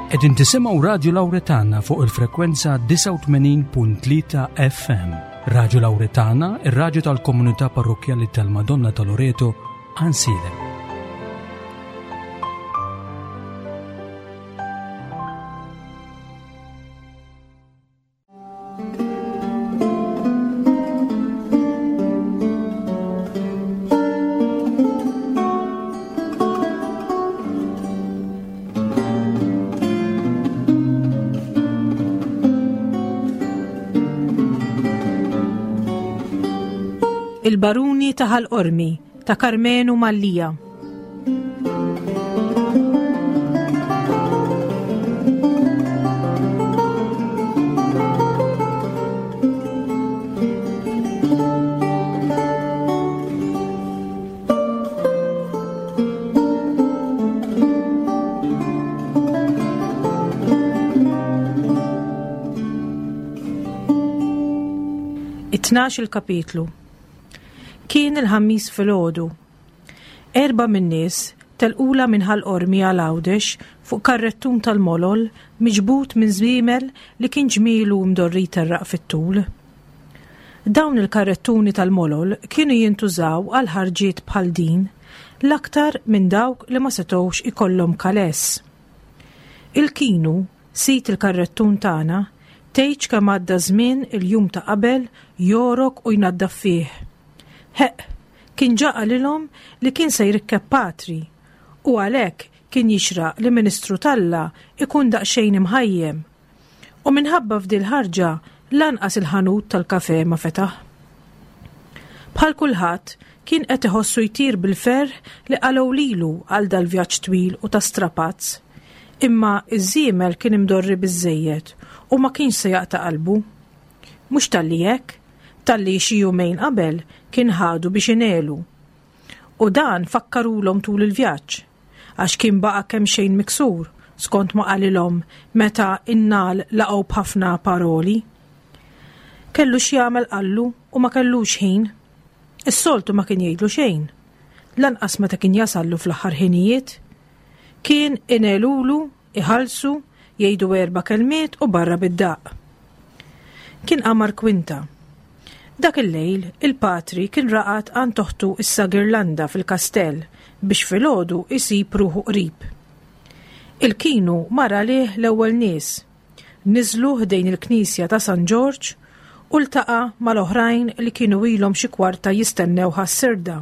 Qegħdin tisimgħu Radju Lawretana fuq il-frekwenza 89.3 FM. Radju Lawretana, ir-radju tal-komunità parrokkjali tal-Madonna ta' Loreto, Ansilem. Il-Baruni ta' Ħal Qormi ta' Karmenu Mallia. It-tnax il-kapitlu. Kien il-ħammis filgħodu. Erbgħa min-nies telqulha minn Ħal Qormi għal Għawdex fuq karrettun tal-molol miġbud minn żwiemel li kien ġmielu mdorri jterraq fit-tul. Dawn il-karrettuni tal-molol kienu jintużaw għal ħarġiet bħal din, l-aktar minn dawk li ma setgħux ikollhom kaless. Il-kinu, sid il-karrettun tagħna, tgħidx kemm għadda żmien il-jum ta' qabel jogħrok u jnaddaf fih. Ħeqq, kien ġa qalilhom li kien se jrikkeb patri u għalhekk kien jixraq li ministru t'Alla ikun daqsxejn imħajjem. U minħabba f'dil-ħarġa lanqas il-ħanut tal-kafè ma fetaħ. Bħal kulħadd, kien qed iħossu jtir bil-ferħ li qalgħu lilu għal dal-vjaġġ twil u ta' strapazz. Imma ż-żiemel kien imdorri biżżejjed u ma kienx se jaqta' qalbu. Mhux talli hekk, talli xi jumejn qabel kien ħadu biex inegħlu. U dan fakkarulhom tul il-vjaġġ, għax kien baqa' kemxejn miksur, skont ma qalilhom meta n-nagħal laqgħu b'ħafna paroli. Kellu x'jagħmel qallu u ma kellux ħin. Is-soltu ma kien jgħidlu xejn, lanqas meta kien jasallu fl-aħħar ħinijiet. Kien inegħlulu Iħallsu, jgħidu erba' kelmiet u barra bid-daqq. Kien qamar kwinta. Dak il-lejl, il-patri kien raqad għand oħtu issa Girlanda fil-kastell biex filgħodu jsib ruħu qrib. Il-kinu mar għalih l-ewwel nies. Niżlu ħdejn il-knisja ta' San Ġorġ u ltaqa' mal-oħrajn li kienu ilhom xi kwarta jistennew ħas-sirda.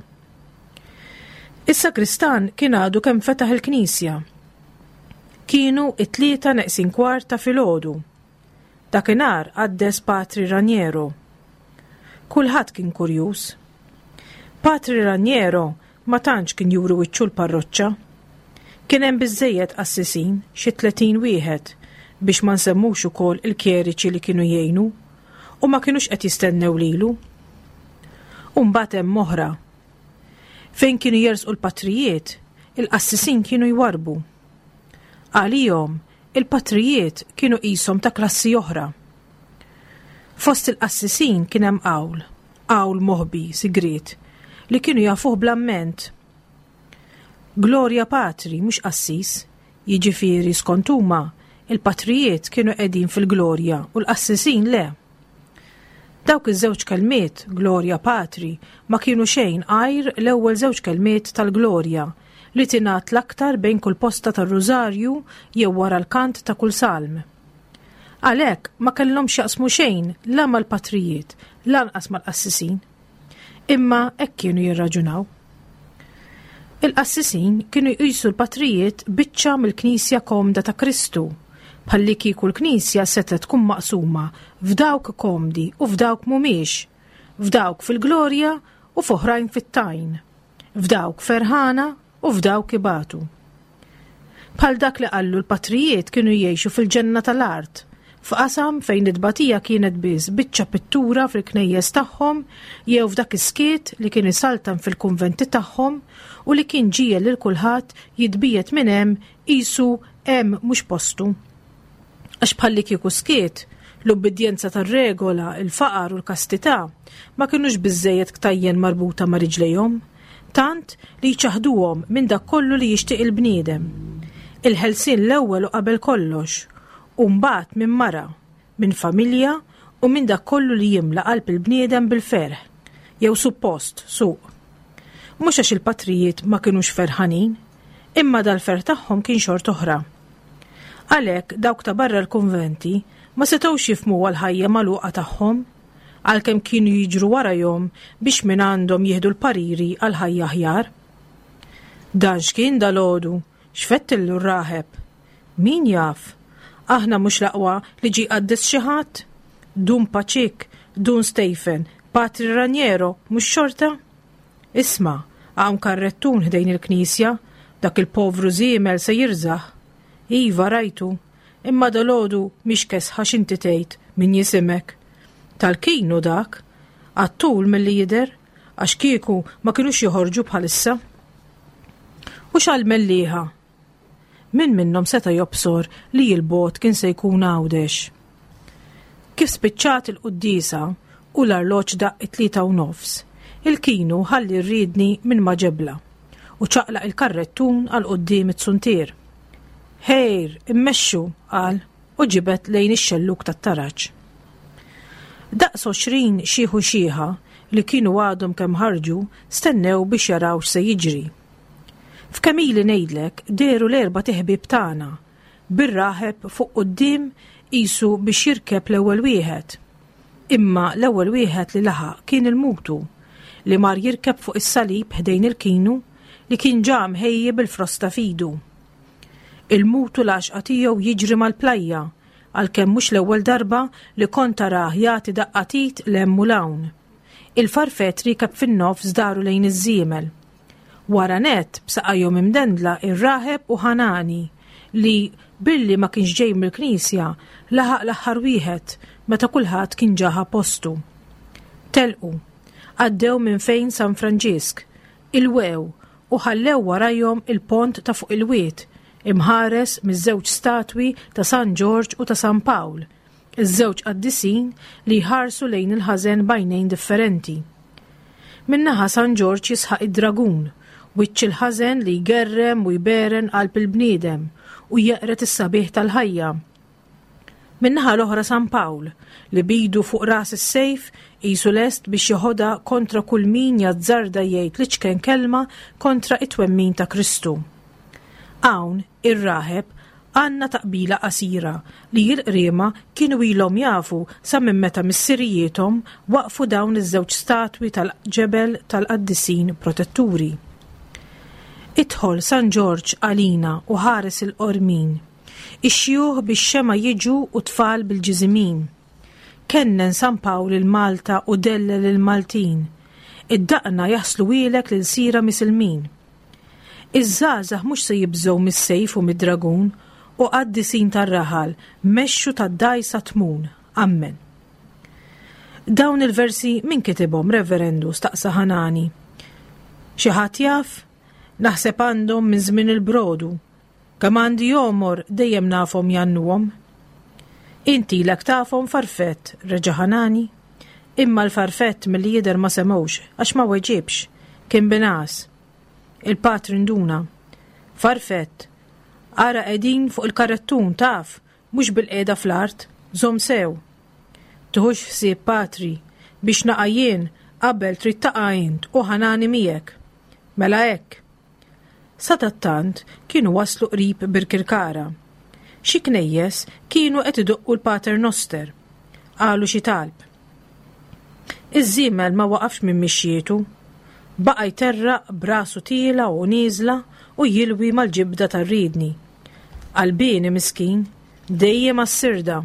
Is-sagristan kien għadu kemm fetaħ il-knisja. Kienu it-tlieta neqsin kwart ta' filgħodu. Dakinhar qaddes Patri Raniero. Kulħadd kien kurjuż. Patri Raniero ma tantx kien juri wiċċu l-parroċċa. Kien hemm biżżejjed qassisin, xi 30 wieħed, biex ma nsemmux ukoll il-kjeriċi li kienu jgħinu, u ma kinux qed jistennew lilu. U mbagħad hemm oħra. Fejn kienu jersqu l-patrijiet, il-qassisin kienu jwarrbu. Għalihom, il-patrijiet kienu qishom ta' klassi oħra. Fost il-qassisin kien hemm qawl, qawl moħbi, sigriet, li kienu jafuh bl-amment. Glorja Patri, mhux qassis, jiġifieri skont huma, il-patrijiet kienu qegħdin fil-glorja u l-qassisin le. Dawk iż-żewġ kelmiet, Glorja Patri, ma kienu xejn għajr l-ewwel żewġ kelmiet tal-Glorja, li tingħad l-aktar bejn kull posta tar-Rużarju jew wara l-kant ta' kull salm. Għalhekk ma kellhom x'jaqsmu xejn la mal-patrijiet, lanqas mal-qassisin. Imma hekk kienu jirraġunaw. Il-qassisin kienu jqisu l-patrijiet biċċa mill-Knisja komda ta' Kristu, bħallikieku l-Knisja setgħet tkun maqsuma f'dawk komdi u f'dawk mhumiex, f'dawk fil-glorja u f'oħrajn fit-tajn, f'dawk ferħana u f'dawk ibatu. Bħal dak li qallu l-patrijiet kienu jgħixu fil-ġenna tal-art, f'qasam fejn it-tbatija kienet biss biċċa pittura fil-knejjes tagħhom jew f'dak is-skiet li kien isaltan fil-kunventi tagħhom u li kien ġiegħel lil kulħadd jitbiegħed minn hemm qisu hemm mhux postu. Għax bħallikieku skiet, l-ubbidjenza tar-regola, il-faqar u l-kastità ma kinux biżżejjed ktajjen marbuta ma' riġlejhom, tant li jċaħħduhom minn dak kollu li jixtieq il-bniedem. Il-ħelsien l-ewwel u qabel kollox, u mbagħad minn mara, minn familja u minn dak kollu li jimla qalb il-bniedem bil-ferħ, jew suppost, suq. Mhux għax il-patrijiet ma kinux ferħanin, imma dal-ferħ tagħhom kien xort'oħra. Għalhekk dawk ta' barra l-kunventi ma setgħux jifhmuha l-ħajja magħluqa tagħhom, għalkemm kienu jiġru warajhom biex mingħandhom jieħdu l-pariri għal ħajja aħjar. Dan x'kien dalgħodu, x'fettillu r-raħeb? Min jaf? Aħna mhux l-aqwa li ġie jqaddes xi ħadd? Dun Paċik, Dun Stephen, Patri Raniero, mhux xorta? Isma', hawn karrettun ħdejn il-knisja, dak il-povru żiemel se jirżaħ. Iva, rajtu, imma dalgħodu mhix kesħa x'inti tgħid min jisimek. Tal-kinu dak, għat-tul milli jidher, għax kieku ma kinux joħorġu bħalissa. U x'għall-mellieħa? Min minnhom seta' jobsor li l-bogħod kien se jkun Għawdex? Kif spiċċat il-quddiesa u l-arloġġ daqq it-3:30, il-kinu ħalli r-riedni minn ma' ġebla u ċaqlaq il-karrettun għal quddiem it-suntier. Ħejr, immexxu, qal u ġibed lejn ix-xellug tat-taraġ. Daqs 20 xiħ u xiħa li kienu għadhom kemm ħarġu stennew biex jaraw x'se jiġri. F'kemm ili ngħidlek dehru l-erbat iħbieb tagħna, bir-raħeb fuq quddiem qisu biex jirkeb l-ewwel wieħed. Imma l-ewwel wieħed li laħaq kien il-mutu, li mar jirkeb fuq is-salib ħdejn il-kinu li kien ġa mħejji bil-frosta f'idu. Il-mutu l-għaxqa tiegħu jiġri mal-plajja, għalkemm mhux l-ewwel darba li kont tarah jagħti daqqa t'id 'l hemm u 'l hawn. Il-farfett riekeb fin-nofs daru lejn iż-żiemel. Wara nett, b'saqajhom imdendla ir-raħeb u Ħanani, li, billi ma kienx ġej mill-knisja, laħaq l-aħħar wieħed meta kulħadd kien ġa ħa postu. Telqu. Għaddew minn fejn San Franġisk, ilwew u ħallew warajhom il-pont ta' fuq il-wied, imħares miż-żewġ statwi ta' San Ġorġ u ta' San Pawl, iż-żewġ qaddisin li jħarsu lejn il-ħażen b'għajnejn differenti. Minn naħa San Ġorġ jisħaq id-dragun, wiċċ il-ħażen li jgerrem u jberen qalb il-bniedem u jeqred is-sabiħ tal-ħajja. Min-naħa l-oħra San Pawl, li b'idu fuq ras is-sejf qisu lest biex jeħodha kontra kull min jazzarda jgħid l-iċken kelma kontra t-twemmin ta' Kristu. Hawn, ir-raħeb, għandna taqbila qasira li l-Qriema kienu ilhom jafu sa minn meta missirijiethom waqqfu dawn iż-żewġ statwi tal-ġebel tal-qaddisin protetturi. Idħol San Ġorġ għalina u ħares il-Qormin. Ix-xjuħ bix-xemgħa jiġu u t-tfal bil-ġiżimin. Kennen San Pawl 'il Malta u dellel il-Maltin. Id-daqna jaħsluhielek l-ilsira misilmin. Iż-żgħażagħ mhux se jibżgħu mis-sejf u mid-dragun, u qaddisin tar-raħal mexxu tad-dgħajsa tmun. Ammen. Dawn il-versi min kitibhom, Reverendu? staqsa Ħanani. Xi ħadd jaf? Naħseb għandhom minn żmien il-brodu. Kemm għandi għomor dejjem nafhom jgħannuhom. Int ilek tafhom farfett, reġa' Ħanani. Imma l-farfett milli jidher ma semgħux għax ma weġibx, kien bingħas. Il-patri nduna. Farfett, ara qegħdin fuq il-karrettun taf, mhux bilqiegħda fl-art, żomm sew. Tiħux ħsieb patri, biex naqa' jien qabel trid taqa' int u Ħanani miegħek. Mela hekk. Sadattant kienu waslu qrib Birkirkara. Xi knejjes kienu qed idoqqu l-Pater Noster. Qalu xi talb. Iż-żiemel ma waqafx minn mixjietu. Baqa' jterraq b'rasu tiela' u nieżla u jilwi mal-ġibda tar-riedni. Qalbieni miskin, dejjem għas-sirda.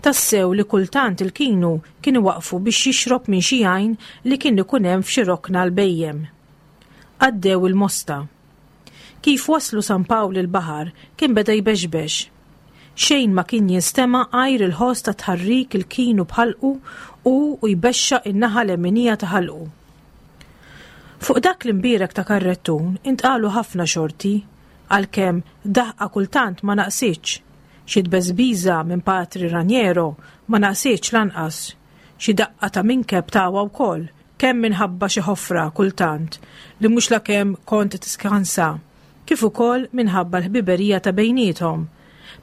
Tassew li kultant il-kinu kien iwaqqfu biex jixrob minn xi għajn li kien ikun hemm f'xi rokna l-bhejjem. Għaddew il-Mosta. Kif waslu San Pawl il-Baħar kien beda jbexbex. Xejn ma kien jinstema' għajr il-ħoss ta' tħarrik il-kinu b'ħalqu u u jbexxaq in-naħa leminija ta' ħalqu. Fuq dak l-imbierek ta' karrettun intqalu ħafna xorti, għalkemm daħqa kultant ma naqsitx. Xi tbeżbiża minn Patri Raniero ma naqsitx lanqas. Xi daqqa ta' minkeb tawha wkoll, kemm minħabba xi ħofra kultant li mhux lakemm kont tiskansa. kif ukoll minħabba l-ħbiberija ta' bejniethom,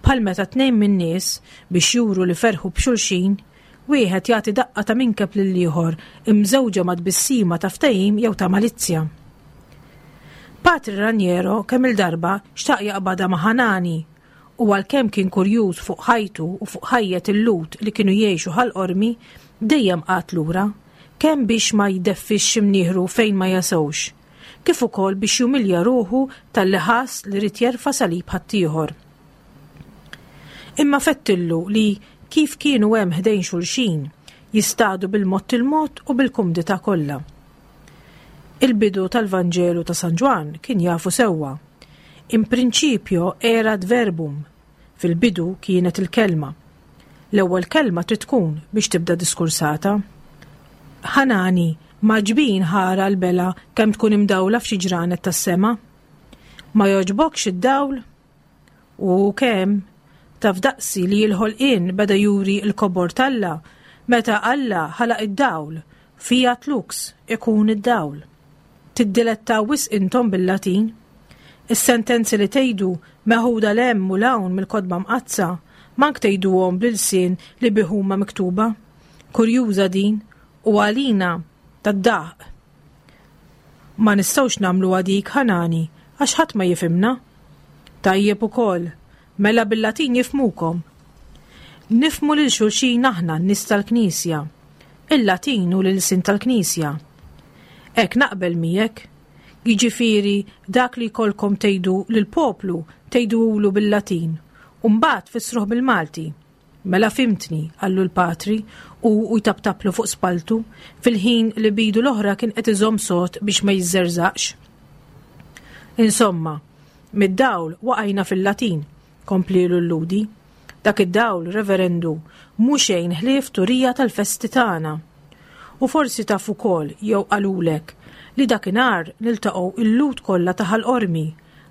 bħal meta tnejn min-nies, biex juru li ferħu b'xulxin, wieħed jagħti daqqa ta' minkeb lill-ieħor imżewġa ma' tbissima ta' ftehim jew ta' malizzja. Patri Raniero kemm-il darba xtaq jaqbadha ma' Ħanani u għalkemm kien kurjuż fuq ħajtu u fuq ħajjet il-Lhud li kienu jgħixu Ħal Qormi, dejjem qagħad lura, kemm biex ma jdeffix imnieħru fejn ma jasewx, kif ukoll biex jumilja ruħu talli ħass li ried jerfa' salib ħaddieħor. Imma fettillu li kif kienu hemm ħdejn xulxin, jistadu bil-mod il-mod u bil-kumdità kollha. Il-bidu tal-Vanġelu ta' San Ġwann kien jafu sewwa. In principio erat verbum, fil-bidu kienet il-kelma. L-ewwel kelma trid tkun biex tibda diskursata. Ħanani, m'għaġbin ħara l-bela kemm tkun imdawla f'xi ġranet tas-sema. Ma jogħġbokx id-dawl? U kemm taf daqsi li l-ħolqien beda juri l-kobor t'Alla meta Alla ħalaq id-dawl, fiat lux, ikun id-dawl. Tiddilettaw wisq intom bil-Latin. Is-sentenzi li tgħidu meħuda 'l hemm u 'l hawn mill-Kotba Mqaddsa, mank tgħiduhom bl-ilsien li bih huma miktuba. Kurjuża din, u għalina tad-daħq. Ma nistgħux nagħmluha dik, Ħanani, għax ħadd ma jifhimna. Tajjeb ukoll, mela bil-Latin jifhmukom. Nifhmu lil xulxin aħna n-nies tal-Knisja. Il-Latin hu l-ilsien tal-Knisja. Hekk naqbel miegħek. Jiġifieri dak li jkollkom tgħidu lill-poplu tgħiduhulu bil-Latin u mbagħad tfissruh bil-Malti. Mela fhimtni, qallu l-patri, hu u jtaptaplu fuq spalltu, fil-ħin li b'idu l-oħra kien qed iżomm sod biex ma jiżżerżaqx. Insomma, mid-dawl waqajna fil-Latin, komplielu l-Lhudi. Dak id-dawl, Reverendu, mhu xejn ħlief turija tal-festi tagħna. U forsi taf ukoll, jew qalulek, li dakinhar niltaqgħu l-Lhud kollha ta' Ħal Qormi,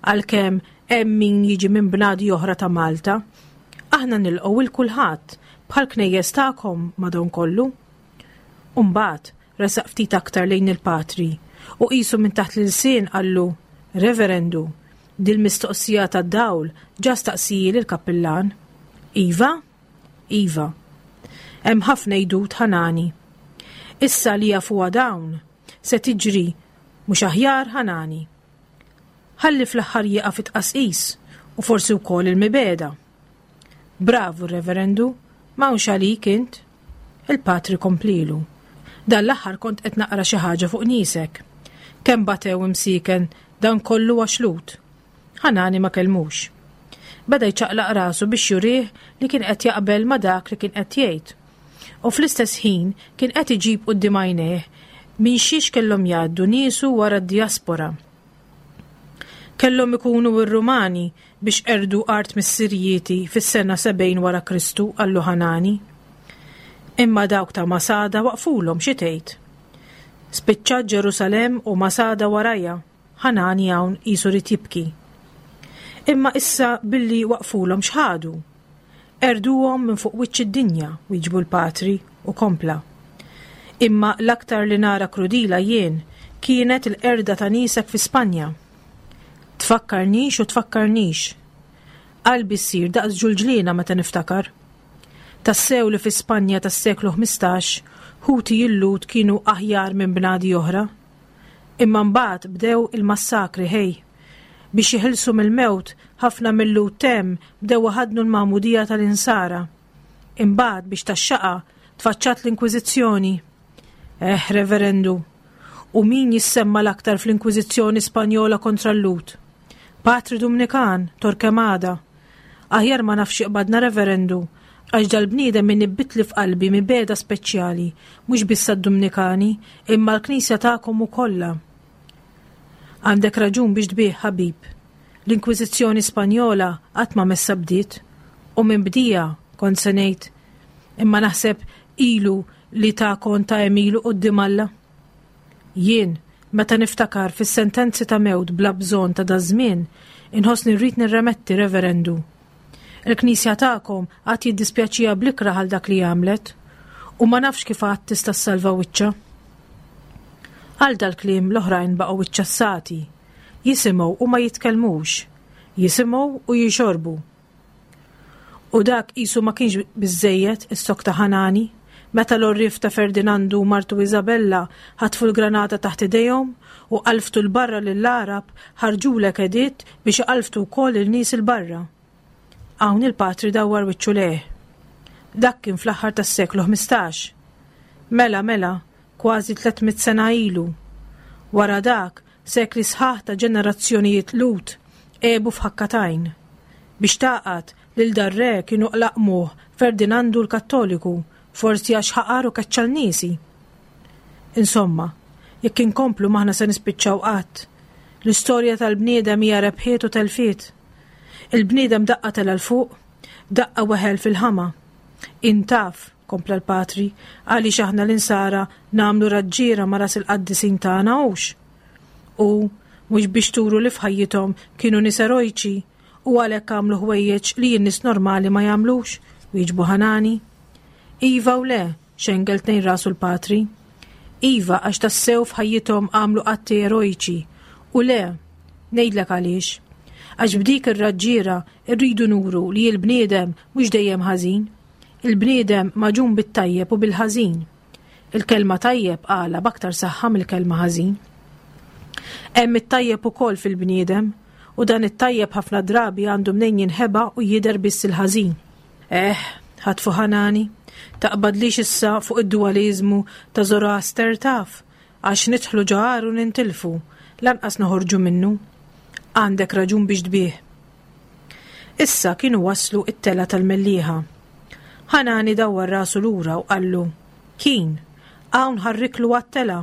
għalkemm hemm min jiġi minn bnadi oħra ta' Malta. Aħna nilqgħu 'l kulħadd, bħall-knejjes tagħkom madonkollu. U mbagħad resaq ftit aktar lejn il-patri u qisu minn taħt l-ilsien qallu, Reverendu, dil-mistoqsija tad-dawl ġa staqsijieli l-kappillan. Iva? Iva. Hemm ħafna għidut ħanani. Issa li jafuha dawn, se tiġri mhux aħjar ħanani. Ħalli fl-aħħar jieqaf it-tqasqis u forsi wkoll il-mibegħda. Bravu Reverendu, m'hawnx għalik int. Il-patri komplielu. Dan l-aħħar kont qed naqra xi ħaġa fuq niesek. Kemm batew imsieken dan kollu għax Lhud. Ħanani ma kellmux. Beda jċaqlaq rasu biex jurih li kien qed jaqbel ma' dak li kien qed jgħid. U fl-istess ħin kien qed iġib quddiem għajnejh minn xiex kellhom jgħaddu niesu wara d-dijaspora. Kellhom ikunu r-Rumani biex qerdu art missirijieti fis-sena 70 wara Kristu, qallu Ħanani. Imma dawk ta' Masada waqfulhom xi tgħid. Spiċċat Ġerusalemm u Masada warajha, Ħanani hawn qisu ried jibki. Imma issa billi waqfulhom x'ħadu? Qerduhom minn fuq wiċċ id-dinja, wieġbu l-patri, u kompla. Imma l-aktar li nara krudila jien kienet il-qerda ta' niesek fi Spanja. Tfakkarnix u tfakkarnix. Qalbi ssir daqs ġulġliena meta niftakar. Tassew li fi Spanja tas-seklu 15 ħuti l-Lhud kienu aħjar minn bnadi oħra. Imma mbagħad bdew il-massakri ħej. Biex jeħilsu mill-mewt, ħafna mil-Lhud t'hemm bdew iħaddnu l-magħmudija tal-Insara. Imbagħad biex tax-xaqa tfaċċat l-Inkwiżizzjoni. Eh, Reverendu, u min jissemma l-aktar fl-Inkwiżizzjoni Spanjola kontra l-Lhud? Patri Dumnikan, Torquemada. Aħjar ma nafx x'qbadna Reverendu, għax dal-bniedem inibbitli f'qalbi mibegħda speċjali, mhux biss għad-Dumnikani, imma għall-Knisja tagħkom u kollha. Għandek raġun biex tbigħ, ħabib. L-Inkwiżizzjoni Spanjola qatt ma messha bdiet, u min bdieha, kont se ngħid, imma naħseb ilu li ta kont ta' għemilu quddiem Alla. Jien, meta niftakar fis-sentenzi ta' mewt bla bżonn ta' daż-żmien, inħossni rrid nirremetti, Reverendu. Il-Knisja tagħkom għad jiddispjaċiha bl-ikrah għal dak li għamlet, u ma nafx kif għad tista' ssalva wiċċha. Għal dal-kliem l-oħrajn baqgħu iċċassati. Jisimgħu u ma jitkellmux. Jisimgħu u jixorbu. U dak qisu ma kienx biżżejjed, issokta Ħanani, meta l-għorrief ta' Ferdinandu u martu Isabella ħatfu l-granata taħt idejhom u qalftu 'l barra lill-Għarab ħarġulek editt biex iqalftu wkoll il-nies 'il barra. Hawn il-patri dawwar wiċċu lejh. Dak kien fl-aħħar tas-seklu 15. Mela, mela, kważi 300 sena ilu. Wara dak, Sekli sħaħ ta' ġenerazzjonijiet Lhud għebu f'ħakka t'għajn. Biex tagħqad, lil dar-re kienu qlaqqmuh Ferdinandu l-Kattoliku, forsi għax ħaqar u keċċa l-niesi. Insomma, jekk inkomplu m'aħna se nispiċċaw qatt. L-istorja tal-bniedem hija rebħiet u telfiet. Il-bniedem daqqa tela' 'l fuq, daqqa weħel fil-ħama. Int taf, kompla l-patri, għaliex aħna l-insara nagħmlu raġġiera ma' ras il-qaddisin tagħna hux? U mhux biex turu li f'ħajjithom kienu nies erojċi u għalhekk għamlu ħwejjeġ li n-nies normali ma jagħmlux, wieġbu Ħanani. Iva u le, xengel tnejn rasu l-patri. Iva għax tassew f'ħajjithom għamlu atti erojċi u le, ngħidlek għaliex. Għax b'dik ir-raġġiera rridu nuru li l-bniedem mhux dejjem ħażin. Il-bniedem magħġun bit-tajjeb u bil-ħażin. Il-kelma tajjeb qalha b'aktar saħħa mill-kelma ħażin. Hemm it-tajjeb ukoll fil-bniedem u dan it-tajjeb ħafna drabi għandu mnejn jinħeba u jidher biss il-ħażin. Eh, ħatfu ħanani, taqbadlix issa fuq id-dualiżmu ta' Zoroaster taf, għax nidħlu ġo għar u nintilfu, lanqas noħorġu minnu. Għandek raġun biex tbih. Issa kienu waslu it-tela tal-Mellieħa. Ħanani dawwar rasu lura u qallu, Kien, hawn ħarriklu għat-tela.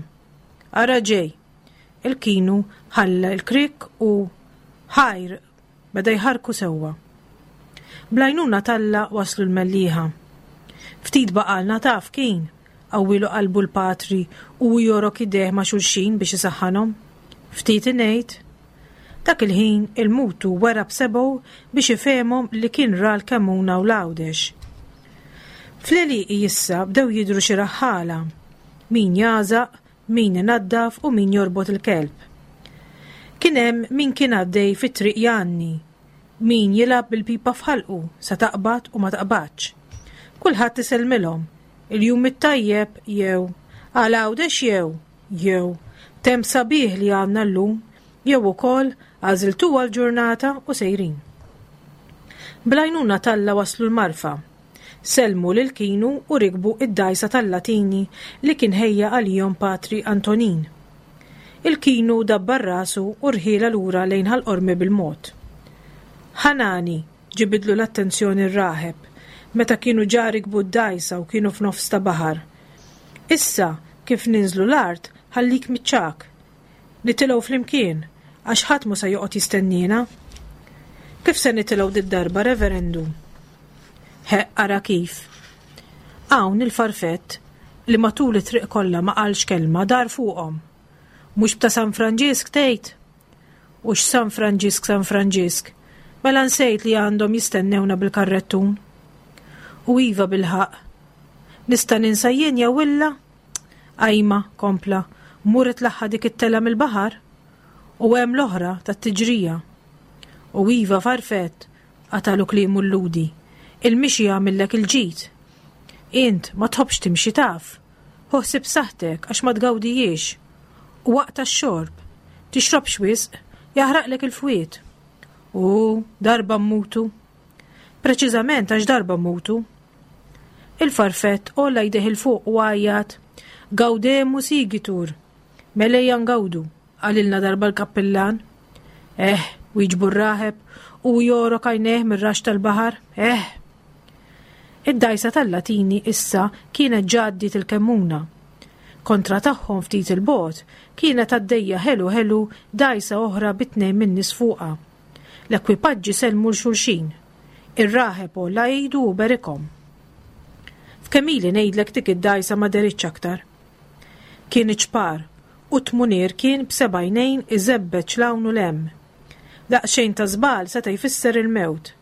Ara ġej. Il-kienu ħalla l-krikk u ħajr beda jħarrku sewwa. Bl-għajnuna t'Alla waslu l-Mellieħa. Ftit baqgħalna taf kien, qawwielu qalbu l-patri u hu jogħrok idejh ma' xulxin biex isaħħanhom. Ftit ingħid. Dak il-ħin il-mutu wera b'sebgħu biex ifehemhom li kien ra l-Kemmuna u l-Għawdex. Fl-għelieqi issa bdew jidhru xi raħħala, min jagħżaq, min inaddaf u min jorbot il-kelb. Kien hemm min kien għaddej fit-triq jgħanni, min jilgħab bil-pipa f'ħalqu sa taqbad u ma taqbadx. Kulħadd isellmilhom, il-jum it-tajjeb jew għal Għawdex jew, jew temp sabiħ li għandna llum jew ukoll għażiltuha l-ġurnata u sejrin. Bl-għajnuna t'Alla waslu l-Marfa. Sellmu lil Kinu u rikbu id-dgħajsa tal-Latini li kien ħejja għalihom Patri Antonin. Il-Kinu dabbar rasu u rħielha lura lejn Ħal Qormi bil-mod. Ħanani, ġibidlu l-attenzjoni r-raħeb, meta kienu ġa rikbu d-dgħajsa u kienu f'nofs ta' baħar. Issa, kif ninżlu l-art, ħallik miċ-ċagħak. Nitilgħu flimkien, għax ħadd mhu se joqgħod jistenniena. Kif se nitilgħu did-darba, Reverendu? Ħeqq ara kif. Hawn il-farfett, li matul it-triq kollha ma qalx kelma, dar fuqhom. Mhux b'ta' San Franġisk tgħid? U x'San Franġisk San Franġisk? Mela nsejt li għandhom jistennewna bil-karrettun. U iva bilħaqq. Nista' ninsa jien jew illa? Ajma, kompla, mur itlaħħa dik it-tela mill-baħar. U hemm l-oħra tat-tiġrija. U iva farfett, qatalu kliemu l-Lhudi, il-mixi jagħmillek il-ġid. Int ma tħobbx timxi taf. Ħu ħsieb saħħtek għax ma tgawdihiex. U aqta' x-xorb. Tixrobx wisq, jaħraqlek il-fwied. U darba mmutu. Preċiżament għax darba mmutu. Il-farfett għolla jdejh 'il fuq u għajjat, Gaudemus igitur! Mela ejja ngawdu, qalilna darba l-kappillan. Eh, wieġbu r-raħeb u jogħrok għajnejh mir-raxx tal-baħar. Eh! Id-dgħajsa tal-Latini issa kienet ġa għaddiet il-Kemmuna. Kontra tagħhom ftit 'il bogħod kienet għaddejja ħelu ħelu dgħajsa oħra bi tnejn min-nies fuqha. L-ekwipaġġi sellmu 'l xulxin. Ir-raħeb għolla idu u berikhom. F'kemm ili ngħidlek dik id-dgħajsa ma deritx aktar. Kien iċ-ċpar u t-tmunier kien b'seba' għajnejn iżebbeġ 'l hawn u 'l hemm. Daqsxejn ta' żball seta' jfisser il-mewt.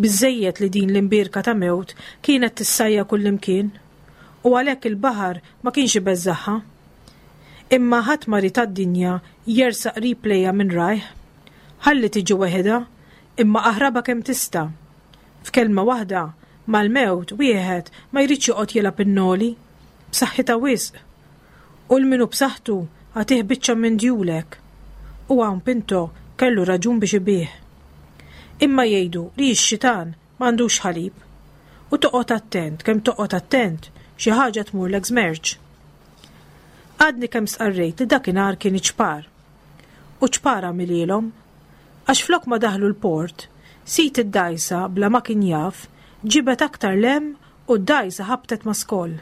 Biżżejjed li din l-imbierka ta' mewt kienet tissajja kullimkien u għalhekk il-baħar ma kienx ibeżżagħha. Imma ħadd ma ried għad-dinja jersaq qrib lejha minn rajh. Ħalli tiġi weħidha, imma aħrabha kemm tista'. F'kelma waħda, mal-mewt wieħed ma jridx joqgħod jilgħab in-noli. B'saħħitha wisq. U 'l min hu b'saħħtu agħtih biċċa minn djulek. U hawn Pinto kellu raġun biex ibigħ. Imma jgħidu li x-xitan m'għandux ħalib. U toqgħod attent kemm toqgħod attent xi ħaġa tmurlek żmerċ. Għadni kemm stqarrejt li dakinhar kien iċ-ċpar. U ċpar għamilhielhom. Għax flok ma daħlu l-port, sid id-dgħajsa bla ma kien jaf, ġibed aktar 'l hemm u d-dgħajsa ħabtet ma' skoll.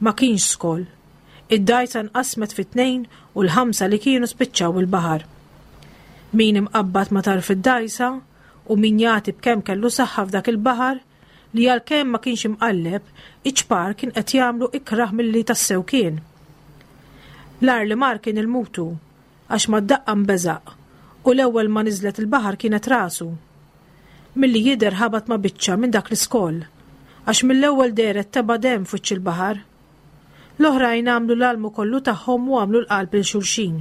Ma kienx skoll. Id-dgħajsa nqasmet fi tnejn u l-ħamsa li kienu spiċċaw il-baħar. Min imqabbad ma' tarf id-dgħajsa u min jagħti b'kemm kellu saħħa f'dak il-baħar li għalkemm ma kienx imqalleb, iċ-ċpar kien qed jagħmlu ikrah milli tassew kien. L-agħar li mar kien il-mutu, għax mad-daqqa nbeżaq u l-ewwel ma niżlet il-baħar kienet rasu. Milli jidher ħabat ma' biċċa minn dak l-iskoll, għax mill-ewwel dehret tebgħa demm f'wiċċ il-baħar. L-oħrajn għamlu l-almu kollu tagħhom u għamlu l-qalb lil xulxin.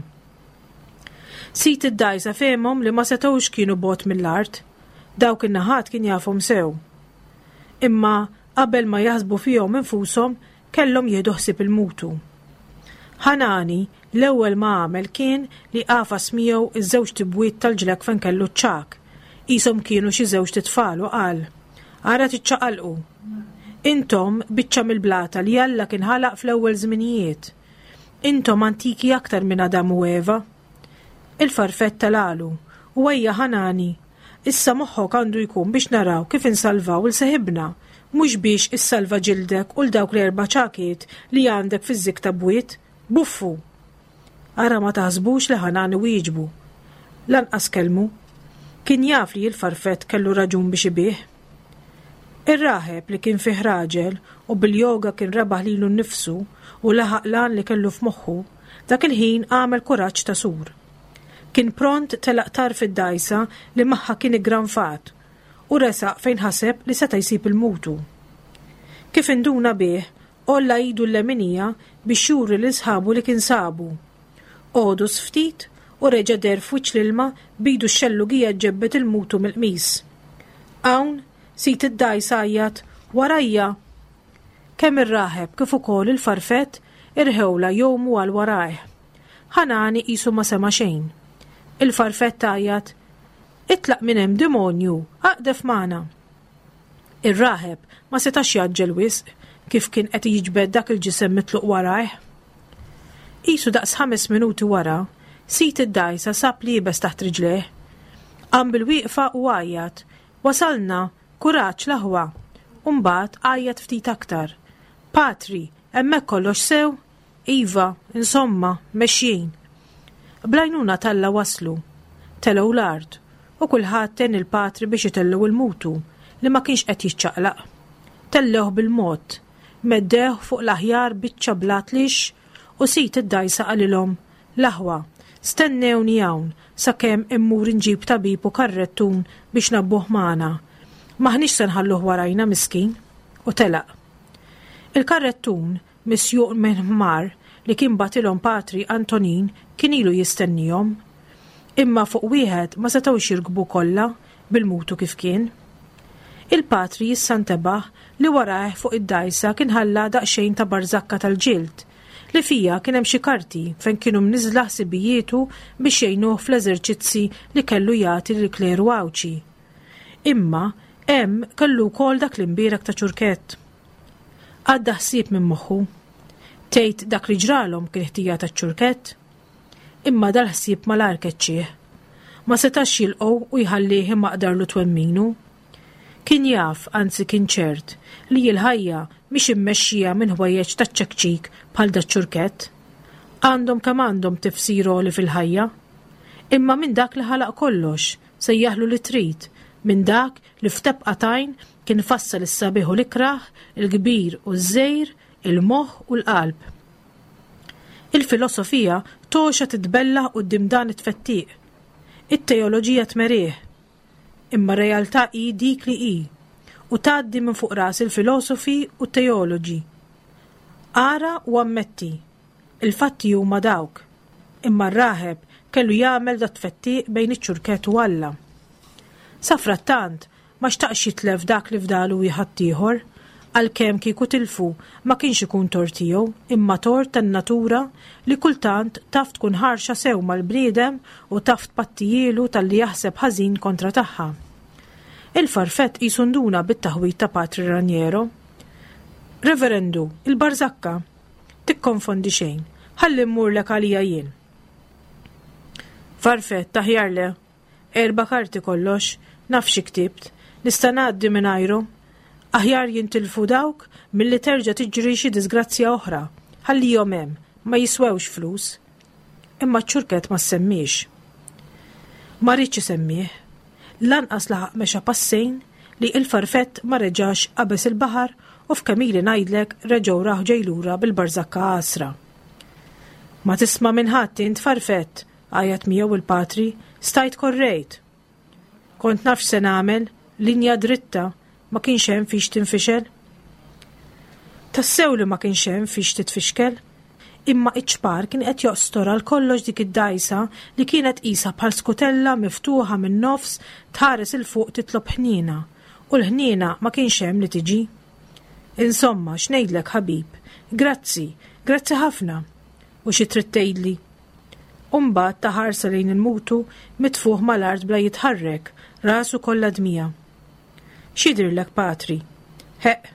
Sid id-dgħajsa fehmhom li ma setgħux kienu bogħod mill-art, dawk in-naħat kien jafhom sew. Imma qabel ma jaħsbu fihom infushom kellhom jieħdu ħsieb il-mutu. Ħanani l-ewwel ma għamel kien li għafas miegħu ż-żewġt ibwiet tal-ġlekk fejn kellu ċ-ċagħak, qishom kienu xi żewġt itfal u qal, Ara tiċċaqalqu! Intom biċċa mill-blata li Alla kien ħalaq fl-ewwel żminijiet. Intom antiki aktar minn Adam u Eva. Il-farfett telgħalu, u ejja Ħanani, Issa moħħok għandu jkun biex naraw kif insalvaw 'il seħibna, mhux biex issalva ġildek u 'l dawk l-erba' ċagħkiet li għandek fiż-żikk ta' bwiet. Buffu! Ara ma taħsbux li Ħanani wieġbu. Lanqas kellmu. Kien jaf li l-farfett kellu raġun biex ibigħ. Ir-raħeb li kien fih raġel u bil-yoga kien rebaħ lilu nnifsu u laħaq l-għan li kellu f'moħħu, dak il-ħin għamel kuraġġ ta' sur. Kien pront telaq tarf id-dgħajsa li magħha kien iggranfat u resaq fejn ħaseb li seta' jsib il-mutu. Kif induna bih, għolla idu l-leminija biex juri lil sħabu li kien sabu. Għodos ftit u reġa' deher f'wiċċ l-ilma b'idu x-xellugija ġġebbed il-mutu mill-qmis. Hawn, sid id-dgħajsa għajjat, Warajja! Kemm ir-raħeb kif ukoll il-farfett irħewlha jgħumu għal warajh. Ħanani qisu ma sema' xejn. Il-farfett għajjat, Itlaq minn hemm demonju, aqdef magħna! Ir-raħeb ma setax jgħaġġel wisq kif kien qed jiġbed dak il-ġisem mitluq warajh. Qisu daqs ħames minuti wara, sid id-dgħajsa sab l-iebes taħt riġlejh. Qam bil-wieqfa u għajjat, Wasalna! Kuraġġ, l-aħwa! U mbagħad għajjat ftit aktar, Patri, hemmhekk kollox sew? Iva, insomma, mexjin. Bl-għajnuna t'Alla waslu. Telgħu l-art, u kulħadd għen il-patri biex itellgħu il-mutu, li ma kienx qed jiċċaqlaq. Tellgħuh bil-mod, meddewh fuq l-aħjar biċċa blat lixx u sid id-dgħajsa qalilhom, L-aħwa, stennewni hawn sakemm immur inġib tabib u karrettun biex ngħabbuh magħna. M'aħniex se nħalluh warajna miskin. U telaq. Il-karrettun misjuq minn ħmar li kien bagħtilhom Patri Antonin kien ilu jistennihom. Imma fuq wieħed ma setgħux jirkbu kollha bil-mutu kif kien. Il-patri issa ntebaħ li warajh fuq id-dgħajsa kien ħalla daqsxejn ta' barżakka tal-ġild li fiha kien hemm xi karti fejn kienu mniżżla ħsibijietu biex jgħinuh fl-eżerċizzi li kellu jagħti lill-kleru Għawdxi. Imma hemm kellu wkoll dak l-imbierek ta' ċurkett. Għadda ħsieb minn moħħu. Tgħid dak li ġralhom kien ħtija taċ-ċurkett? Imma dal-ħsieb malajr keċċieh. Ma setax jilqgħu u jħallih imaqdarlu twemminu. Kien jaf, anzi kien ċert, li l-ħajja mhix immexxija minn ħwejjeġ taċ-ċekċik bħal daċ-ċurkett. Għandhom kemm għandhom tifsir għoli fil-ħajja. Imma minn dak li ħalaq kollox, sejjaħlu li trid, minn dak li f'tebqa t'għajn kien fassal is-sabiħ u l-ikrah, il-kbir u ż-żgħir, il-moħħ u l-qalb. Il-filosofija togħxa titbellah quddiem dan it-tfettiq. It-teoloġija tmerih. Imma r-realtà hi dik li hi, u tgħaddi minn fuq ras il-filosofi u t-teoloġi. Ara u ammetti. Il-fatti huma dawk. Imma r-raħeb kellu jagħmel dat-tfettiq bejn iċ-ċurkett u Alla. Safrattant, ma xtaqx jitlef dak li fdalu ħaddieħor, għalkemm kieku tilfu ma kienx ikun tort tiegħu imma tort tan-natura li kultant taf tkun ħarxa sew mal-bniedem u taf tpattijielu talli jaħseb ħażin kontra tagħha. Il-farfett qisu nduna bit-taħwid ta' Patri Raniero. Reverendu, il-barżakka! Tikkonfondi xejn, ħalli mmurlek għalija jien. Farfett, aħjar le. Erba' karti kollox, naf xi ktibt, nista' ngħaddi mingħajrhom. Aħjar jintilfu dawk milli terġa' tiġri xi diżgrazzja oħra. Ħallihom hemm, ma jiswewx flus. Imma ċ-ċurkett ma ssemmiex. Ma riedx isemmih. Lanqas laħaq mexa passejn li il-farfett ma reġax qabeż il-baħar u f'kemm ili ngħidlek reġgħu rah ġej lura bil-barżakka għasra. Ma tisma' minn ħadd int farfett, għajjat miegħu il-patri, stajt korrejt. Kont naf x'se nagħmel, linja dritta, ma kienx hemm fiex tinfixel. Tassew li ma kienx hemm fiex titfixkel. Imma iċ-ċpar kien qed joqstor għal kollox dik id-dgħajsa li kienet qisha bħal skutella miftuħa min-nofs tħares 'il fuq titlob ħniena, u l-ħniena ma kienx hemm li tiġi. Insomma, x'ngħidlek ħabib? Grazzi, grazzi ħafna. U xi trid tgħidli? U mbagħad ta ħarsa lejn il-mutu mitfugħ mal-art bla jitħarrek, rasu kollha dmija. X'jidhirlek, patri? Ħeqq,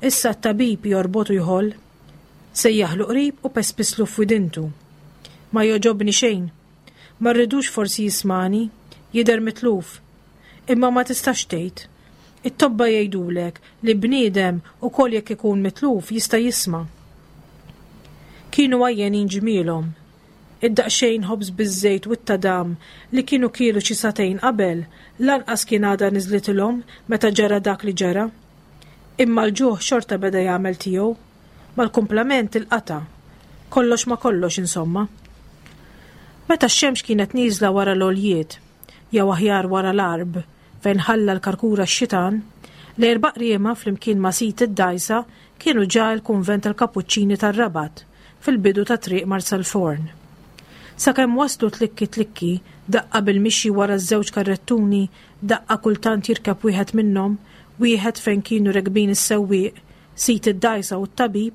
issa t-tabib jorbot u jħoll. Sejjaħlu qrib u pespislu f'widintu. Ma jogħġobni xejn. Ma rridux forsi jismagħni, jidher mitluf. Imma ma tistax tgħid. It-tobba jgħidulek li bniedem ukoll jekk ikun mitluf jista' jisma'. Kienu għajjenin ġmielhom. Id-daqsxejn ħobż biż-żejt u t-tadam li kienu kielu xi sagħtejn qabel lanqas kien għadha niżlitilhom meta ġara dak li ġara. Imma l-ġuħ xorta beda jagħmel tiegħu. Mal-kumplament il-qatgħa. Kollox ma' kollox insomma. Meta x-xemx kienet nieżla wara l-għoljiet, jew aħjar wara l-għarb, fejn ħalla l-karkura x-xitan, l-erba' qriema flimkien ma' sid id-dgħajsa kienu ġa l-kunvent tal-Kapuċċini tar-Rabat, fil-bidu ta' Triq Marsalforn. Sakemm waslu tlikki tlikki, daqqa bil-mixi wara ż-żewġ karrettuni, daqqa kultant jirkeb wieħed minnhom, wieħed fejn kienu rekbin is-sewwieq, sid id-dgħajsa u t-tabib,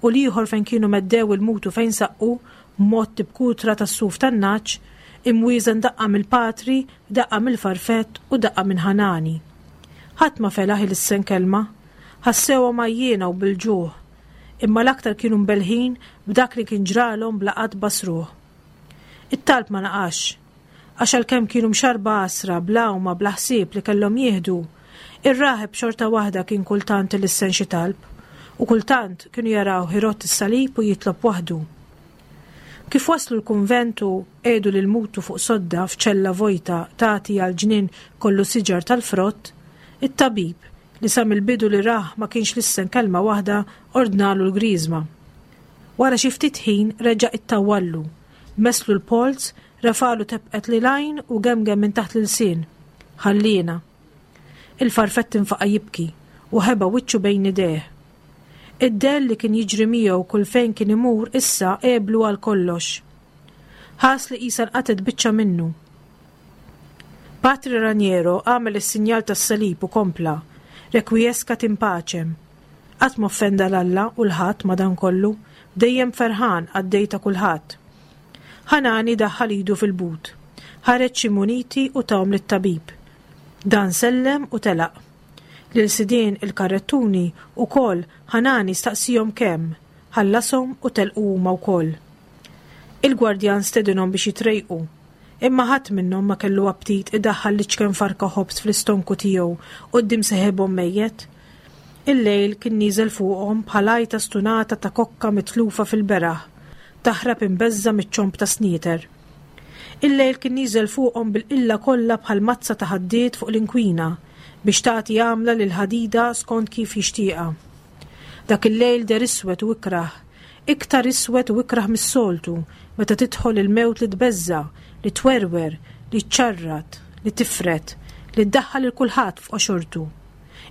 u l-ieħor fejn kienu meddew il-mutu fejn saqqu, mgħotti b'kutra tas-suf tan-nagħaġ, imwieżen daqqa mill-patri, daqqa mill-farfett u daqqa minn Ħanani. Ħadd ma felaħ ilissen kelma. Ħassewhom għajjiena u bil-ġuħ. Imma l-aktar kienu mbellħin b'dak li kien ġralhom bla qatt basruh. It-talb ma naqasx. Għax għalkemm kienu mxarrba għasra bl-għawma bla ħsieb li kellhom jieħdu, ir-raħeb xorta waħda kien kultant ilissen xi talb, u kultant kienu jarawh irott is-salib u jitlob waħdu. Kif waslu l-kunvent u qiegħdu lil mutu fuq sodda f'ċella vojta tagħti għal ġnien kollu siġar tal-frott, it-tabib, li sa mill-bidu li rah ma kienx lissen kelma waħda, ordnalu l-griżma. Wara xi ftit ħin reġa' ittawwallu, messlu l-polz, refagħlu tebqet lil għajn u gemgem minn taħt l-ilsien, Ħalliena. Il-farfett infaqa' jibki u ħeba wiċċu bejn idejh. Id-dell li kien jiġri miegħu kull fejn kien imur issa għeblu għal kollox. Ħass li qisha nqatgħet biċċa minnu. Patri Raniero għamel is-sinjal tas-salib u kompla, Requiescat in pacem. Qatt m'offenda 'l Alla u 'l ħadd madankollu, dejjem ferħan qaddej ta' kulħadd. Ħanani daħħal idu fil-but. Ħareġ xi muniti u tahom lit-tabib. Dan sellem u telaq. Lil sidien il-karrettuni wkoll Ħanani staqsiehom kemm, ħallashom u telqu huma wkoll. Il-gwardjan stedinhom biex jitrejqu. Imma ħadd minnhom ma kellu aptit idaħħal l-iċken farka ħobż fl-istonku tiegħu quddiem seħibhom mejjet. Il-lejl kien nieżel fuqhom bħal għajta stunata ta' kokka mitlufa fil-beraħ, taħrab imbeżża' miċ-ċomb tas-snieter. Il-lejl kien nieżel fuqhom bil-qilla kollha bħal mazza ta' ħaddied fuq l-inkwina biex tagħti għamla lill-ħadida skont kif jixtieqha. Dak il-lejl deher iswed u ikrah, iktar iswed u ikrah mis-soltu meta tidħol il-mewt li tbeżża', li twerwer, li ċċarrat, li tifred, li ddaħħal lil kulħadd f'qoxortu.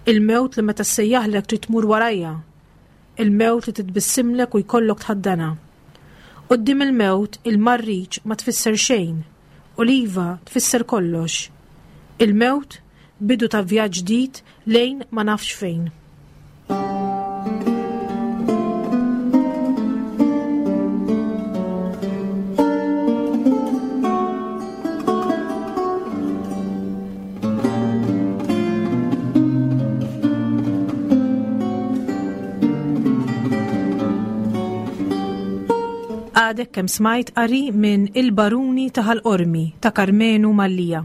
Il-mewt li meta ssejjaħlek trid tmur warajha. Il-mewt li titbissimlek u jkollok tħaddanha. Quddiem il-mewt il-marriċ ma tfisser xejn u l-iva tfisser kollox. Il-mewt bidu ta' vjaġġ ġdid lejn ma nafx fejn. Għadek kemm smajt qari minn Il-Baruni ta' Ħal Qormi ta' Karmenu Mallia.